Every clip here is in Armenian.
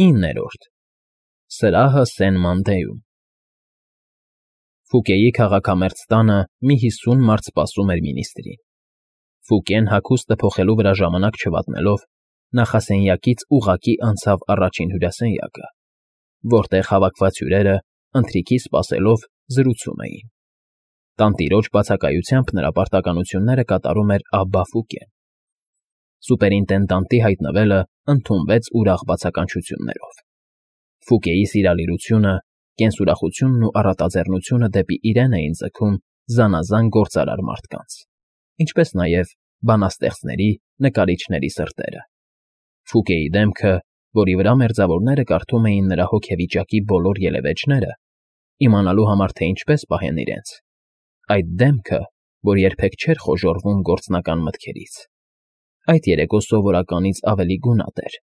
9-րդ Սրահը Սեն-Մանդեում Ֆուկեի քաղաքամերձ տանը մի 50 մարդ սպասում էր մինիստրին։ Ֆուկեն հագուստը փոխելու վրա ժամանակ չվատնելով նախասենյակից ուղղակի անցավ առաջին հյուրասենյակը, որտեղ հավաքված հյուրերը ընթրիքի սպասելով զրուցում էին։ Տանտիրոջ բացակայությամբ նրա պարտականությունները կատարում էր Աբբա Ֆուկեն։ Սուպերինտենդանտի հայտնվելը ընդունվեց ուրախ բացականչություններով։ Ֆուկեի սիրալիրությունը, կենսուրախությունն ու առատաձեռնությունը դեպի իրեն էին ձգում զանազան գործարար մարդկանց, ինչպես նաև բանաստեղծների, նկարիչների սրտերը։ Ֆուկեի դեմքը, որի վրա մերձավորները կարդում էին նրա հոգեվիճակի բոլոր ելևէջները, իմանալու համար, թե ինչպես պահեն իրենց, այդ դեմքը, որ երբեք չէր խոժոռվում գործնական մտքերից, այդ երեկո սովորականից ավելի գունատ էր,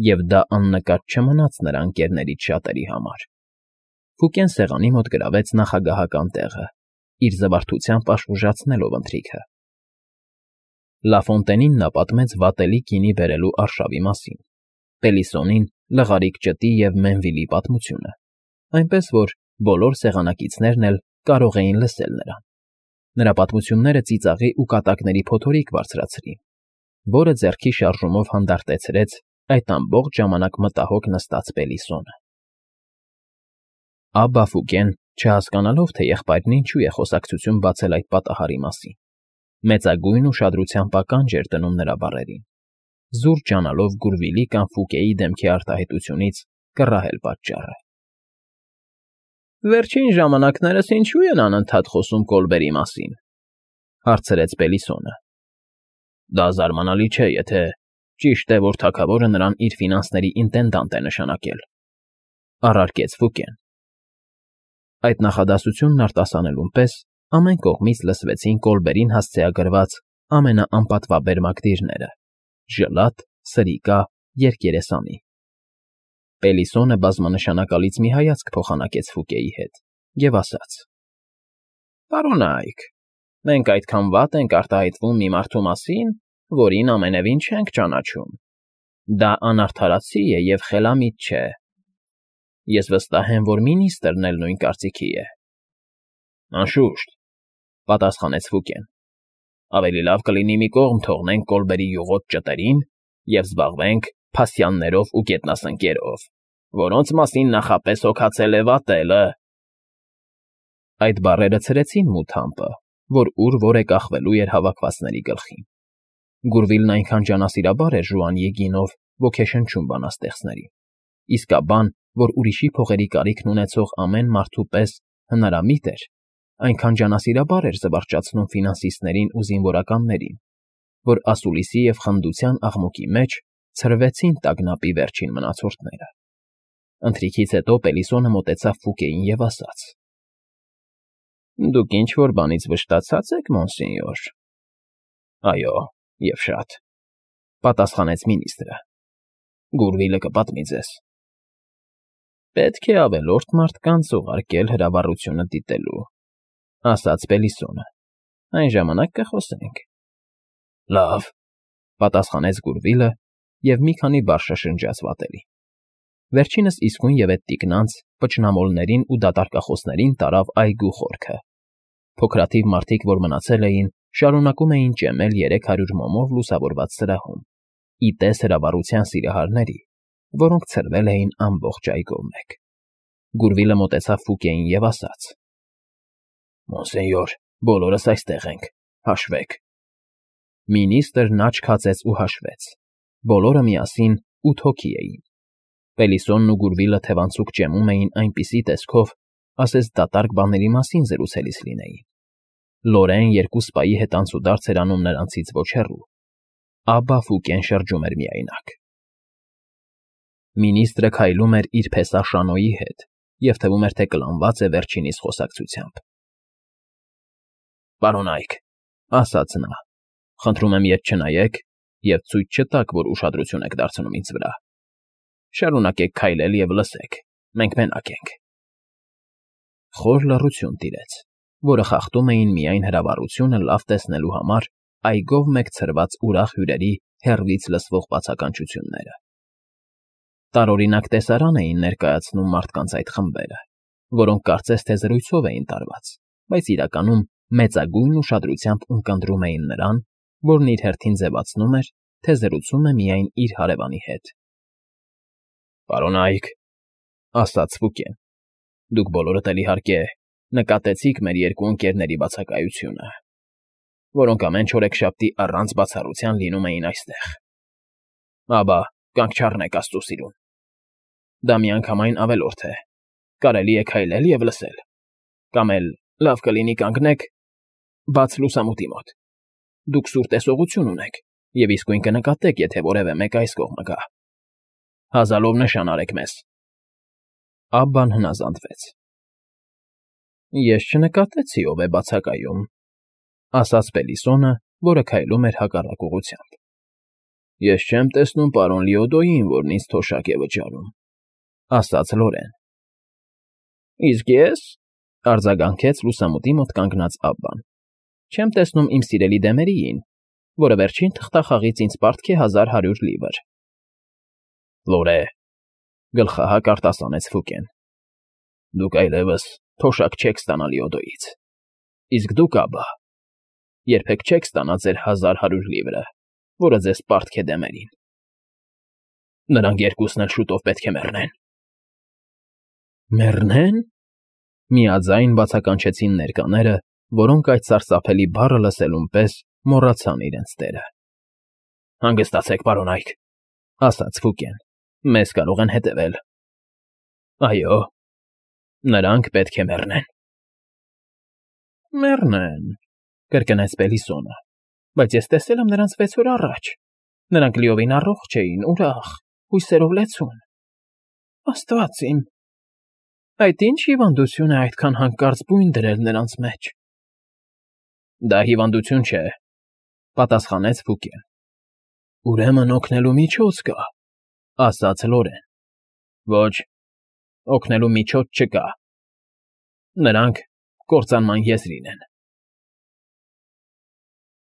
և դա աննկատ չմնաց նրա ընկերներից շատերի համար։ Ֆուկեն սեղանի մոտ գրավեց նախագահական տեղը, իր զվարթությամբ աշխուժացնելով ընթրիքը։ Լաֆոնտենին նա պատմեց վատելի գինի բերելու արշավի մասին, Պելիսոնին լղարիկ ճտի և Մենվիլի պատմությունը, այնպես որ բոլոր սեղանակիցներն էլ կարող էին լսել նրան։ Նրա պատմությունները ծիծաղի ու կատակների փոթորիկ բարձրացրին, որը ձեռքի շարժումով հանդարտեցրեց այդ ամբողջ ժամանակ մտահոգ նստած Պելիսոնը։ Աբբա Ֆուկեն, չհասկանալով, թե եղբայրն ինչու է խոսակցություն բացել այդ պատահարի մասին, մեծագույն ուշադրությամբ ականջ էր դնում նրա բառերին, զուր ջանալով Գուրվիլի կամ Ֆուկեի դեմքի արտահայտությունից կռահել պատճառը։ Վերջին ժամանակներս ինչու են անընդհատ խոսում Կոլբերի մասին, հարցրեց Պելիսոնը։ Դա զարմանալի չէ, եթե ճիշտ է, որ թագավորը նրան իր ֆինանսների ինտենդանտ է նշանակել, առարկեց Ֆուկեն։ Այդ նախադասությունն արտասանելուն պես ամեն կողմից լսվեցին Կոլբերին հասցեագրված ամենաանպատվաբեր մակդիրները՝ ժլատ, սրիկա, երկերեսանի։ Պելիսոնը բազմանշանակալից մի հայացք փոխանակեց Ֆուկեի հետ և ասաց. Պարոնայք, մենք այդքան վատ ենք արտահայտվում մի մարդու մասին, որին ամենևին չենք ճանաչում։ Դա անարդարացի է և խելամիտ չէ։ Ես վստահ եմ, որ մինիստրն էլ նույն կարծիքի է։ Անշուշտ, պատասխանեց Ֆուկեն։ Ավելի լավ կլինի մի կողմ թողնենք Կոլբերի յուղոտ ճտերին և զբաղվենք փասյաններով ու գետնասնկերով, որոնց մասին նախապես հոգացել է վատելը։ Այդ բառերը ցրեցին մութ համբը, որ ուր-որ է կախվելու էր հավաքվածների գլխին։ Գուրվիլն այնքան ջանասիրաբար էր Ժուանիի գինով ոգեշնչում բանաստեղծներին, իսկաբան, որ ուրիշի փողերի կարիքն ունեցող ամեն մարդու պես հնարամիտ էր, այնքան ջանասիրաբար էր զվարճացնում ֆինանսիստներին ու զինվորականներին, որ ասուլիսի և խնդության աղմուկի մեջ ցրվեցին տագնապի վերջին մնացորդները։ Ընթրիքից հետո Պելիսոնը մոտեցավ Ֆուկեին և ասաց. Դուք ինչ-որ բանից վշտացած եք, մոնսենյոր։ Այո, և շատ, պատասխանեց մինիստրը։ Գուրվիլը կպատմի ձեզ։ Պետք է ավելորդ մարդկանց ուղարկել հրավառությունը դիտելու, ասաց Պելիսոնը։ Այն ժամանակ կխոսենք։ Լավ, պատասխանեց Գուրվիլը և մի քանի բառ շշնջաց վատելի։ Վերջինս իսկույն այդ տիկնանց, պճնամոլներին ու դատարկախոսներին տարավ այգու խորքը։ Փոքրաթիվ մարդիկ, որ մնացել էին, շարունակում էին ճեմել 300 մոմով լուսավորված սրահում, ի տես հրավառության սիրահարների, որոնք ցրվել էին ամբողջ այգով մեկ։ Գուրվիլը մոտեցավ Ֆուկեին և ասաց. Մոնսենյոր, բոլորս այստեղ ենք, հաշվեք։ Մինիստրն աչք հացեց ու հաշվեց։ Բոլորը միասին 8 հոգի էին։ Պելիսոնն ու Գուրվիլը թևանցուկ ճեմում էին այնպիսի տեսքով, ասես դատարկ բաների մասին զրուցելիս լինեին։ Լորեն երկու սպայի հետ անցուդարձ էր անում նրանցից ոչ հեռու։ Աբբա Ֆուկեն շրջում էր միայնակ։ Մինիստրը քայլում էր իր փեսա Շանոյի հետ և թվում էր, թե կլանված է վերջինիս խոսակցությամբ։ Պարոնայք, ասաց նա, խնդրում եմ ետ չնայեք և ցույց չտաք, որ ուշադրություն եք դարձնում ինձ վրա։ Շարունակեք քայլել և լսեք, մենք մենակ ենք։ Խոր լռություն տիրեց, որը խախտում էին միայն հրավառությունը լավ տեսնելու համար այգով մեկ ցրված ուրախ հյուրերի հեռվից լսվող բացականչությունները։ Տարօրինակ տեսարան էին ներկայացնում մարդկանց այդ խմբերը, որոնք կարծես թե զրույցով էին տարված, բայց իրականում մեծագույն ուշադրությամբ ունկնդրում էին նրան, որն իր հերթին ձևացնում էր, թե զրուցում է միայն իր հարևանի հետ։ «Պարոն Այք,֊ ասաց Ֆուկեն,֊ դուք բոլորդ էլ, իհարկե, նկատեցիք մեր երկու ընկերների բացակայությունը, որոնք ամեն չորեքշաբթի առանց բացառության լինում էին այստեղ։ Աբա կանք չառնեք աստծո սիրուն։ Դա միանգամայն ավելորդ է, կարելի է քայլել և լսել, կամ էլ լավ կլինի կանգնեք բաց լուսամուտի մոտ։ Դուք սուր տեսողություն ունեք և իսկույն կնկատեք, եթե որևէ մեկը այս կողմը գա։ Հազալով նշան արեք մեզ»։ Աբբան հնազանդվեց։ «Ես չնկատեցի ով է բացակայում,֊ ասաց Բելիսոնը, որը քայլում էր հակառակ ուղղությամբ։ «Ես չեմ տեսնում պարոն Լիոդոյին, որն ինձ թոշակ է վճարում,֊ ասաց Լորեն։ Իսկ ես,֊ արձագանքեց լուսամուտի մոտ կանգնած Աբբան,֊ չեմ տեսնում իմ սիրելի Դեմերիին, որը վերջին թղթախաղից ինձ պարտք է 1100 լիվր»։ «Լորե,֊ գլխահակ արտասանեց Ֆուկեն,֊ դուք այլևս թոշակ չեք ստանա Լիոդոյից, իսկ դուք, Աբբա, երբեք չեք ստանա ձեր 1100 լիվրը, որը ձեզ պարտք է Դեմերին։ Նրանք երկուսն էլ շուտով պետք է մեռնեն»։ «Մեռնե՞ն»։ Միաձայն բացականչեցին ներկաները, որոնք այդ սարսափելի բառը լսելուն պես մոռացան իրենց տերը։ «Հանգստացեք, պարոն Այք,֊ ասաց Ֆուկեն,֊ մեզ կարող են հետևել։ Այո, նրանք պետք է մեռնեն»։ «Մեռնեն,֊ կրկնեց Բելիսոնը,֊ բայց ես տեսել եմ նրանց 6 օր առաջ։ Նրանք լիովին առողջ էին, ուրախ, հույսերով լեցուն։ Աստված իմ, այդ ի՞նչ հիվանդություն է այդքան հանկարծ բույն դրել նրանց մեջ»։ «Դա հիվանդություն չէ,֊ պատասխանեց Ֆուկեն։ «Ուրեմն օգնելու միջոց կա,֊ ասաց Լորեն։ Ոչ, օգնելու միջոց չկա։ Նրանք կործանման եզրին են»։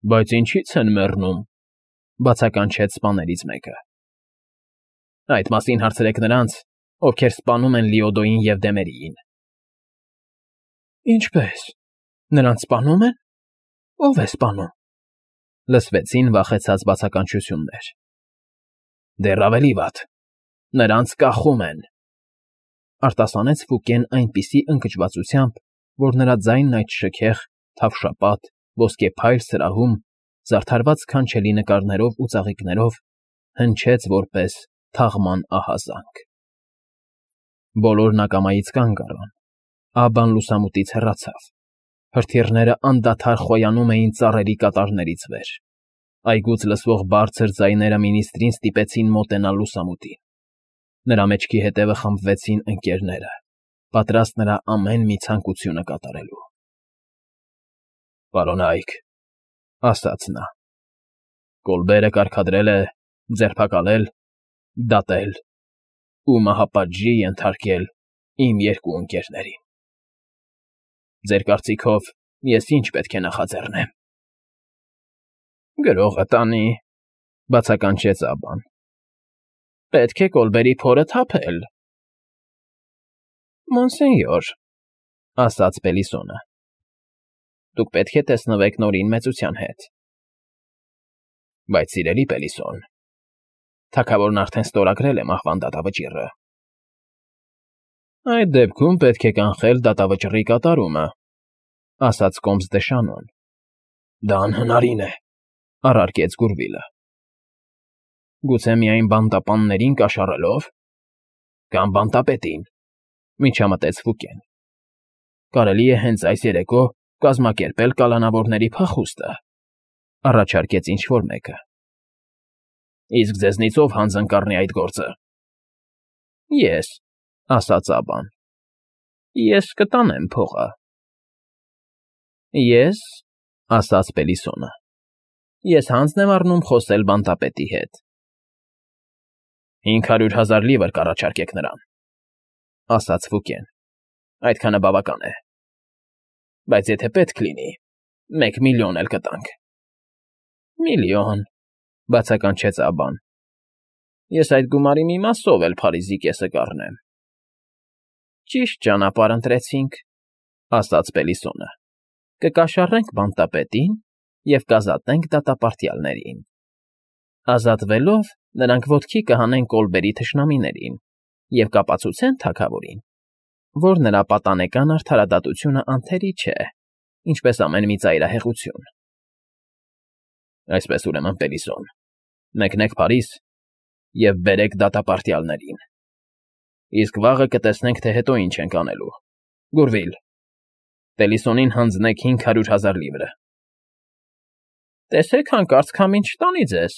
«Բայց ինչի՞ց են մեռնում,֊ բացականչեց սպաներից մեկը։ «Այդ մասին հարցրեք նրանց, ովքեր սպանում են Լիոդոյին և Դեմերիին»։ «Ինչպե՞ս, նրանց սպանում են։ Ո՞վ է սպանում,֊ լսվեցին վախեցած բացականչություններ։ «Դեռ ավելի վատ, նրանց կախում են,֊ արտասանեց Ֆուկեն այնպիսի ընկճվածությամբ, որ նրա ձայնն այդ շքեղ, թավշապատ, ոսկեփայլ սրահում, զարդարված սքանչելի նկարներով ու ծաղիկներով, հնչեց որպես թաղման ահազանգ։ Բոլորն ակամայից կանգ առան։ Աբբան լուսամուտից հեռացավ։ Հրթիռները անդադար խոյանում էին ծառերի կատարներից վեր։ Այգուց լսվող բարձր ձայները մինիստրին ստիպեցին մոտենալ լուսամուտին։ Նրա մեջքի հետևը խմբվեցին ընկերները, պատրաստ նրա ամեն մի ցանկությունը կատարելու։ «Պարոն Այք,֊ ասաց նա,֊ Կոլբերը կարգադրել է ձերբակալել, դատել ու մահապատժի ենթարկել իմ երկու ընկերներին։ Ձեր կարծիքով ես ինչ պետք է նախաձեռնեմ»։ «Գրողը տանի,֊ բացականչեց Աբբան,֊ պետք է Կոլբերի փորը թափել»։ «Մոնսենյոր,֊ ասաց Բելիսոնը,֊ դուք պետք է տեսնվեք Նորին մեծության հետ»։ «Բայց, սիրելի Բելիսոն, թագավորն արդեն ստորագրել է մահվան դատավճիռը»։ «Այդ դեպքում պետք է կանխել դատավճռի կատարումը», ասաց կոմս դե Շանոն։ «Դա անհնարին է,֊ առարկեց Գուրվիլը։ «Գուցե միայն բանտապաններին կաշառելով, կամ բանտապետին,֊ միջամտեց Ֆուկեն։ «Կարելի է հենց այս երեկո կազմակերպել կալանավորների փախուստը,֊ առաջարկեց ինչ֊որ մեկը։ Իսկ ձեզնից ով հանձն կառնի այդ գործը»։ «Ես,֊ ասաց Աբբան,֊ ես կտանեմ փողը»։ «Ես,֊ ասաց Բելիսոնը,֊ ես հանձն եմ առնում խոսել բանտապետի հետ»։ 500,000 լիվր կառաջարկեք նրան,֊ ասաց Ֆուկեն։ «Այդքանը բավական է։ Բայց եթե պետք լինի, 1 միլիոն էլ կտանք»։ «Միլիոն,֊ բացականչեց Աբբան։ Ես այդ գումարի մի մասով էլ Փարիզի կեսը կառնեմ։ Ճիշտ ճանապարհ ընտրեցինք, ասաց Պելիսոնը։ Կկաշառենք բանտապետին և կազատենք դատապարտյալներին։ Ազատվելով, նրանք ոտքի կհանեն Կոլբերի թշնամիներին և կապացուցեն թագավորին, որ նրա պատանեկան արդարադատությունը անթերի չէ, ինչպես ամեն մի ծայրահեղություն։ Այսպես ուրեմն, Պելիսոն, մեկնեք Փարիզ և բերեք դատապարտյալներին։ Իսկ վաղը կտեսնենք, թե հետո ինչ ենք անելու։ Գուրվիլ, Պելիսոնին հանձնեք 500,000 լիվրը։ Տեսեք հանկարծ քամին չտանի ձեզ,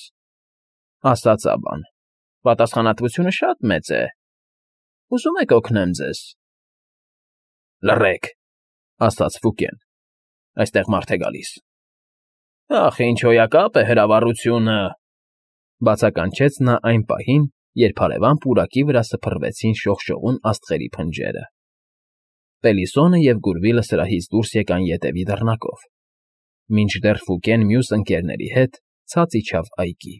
ասաց Աբան։ Պատասխանատվությունը շատ մեծ է։ Ուզում եք օգնեմ ձեզ։ Լռեք, ասաց Ֆուկեն։ Այստեղ մարդ է գալիս։ Ախ, ինչ հոյակապ է հրավառությունը, բացականչեց նա այն պահին, երբ հարևան պուրակի վրա սփռվեցին շողշողուն աստղերի փնջերը։ Պելիսոնը և Գուրվիլը սրահից դուրս եկան ետևի դռնակով, մինչդեռ Ֆուկեն մյուս ընկերների հետ ցած իջավ այգի։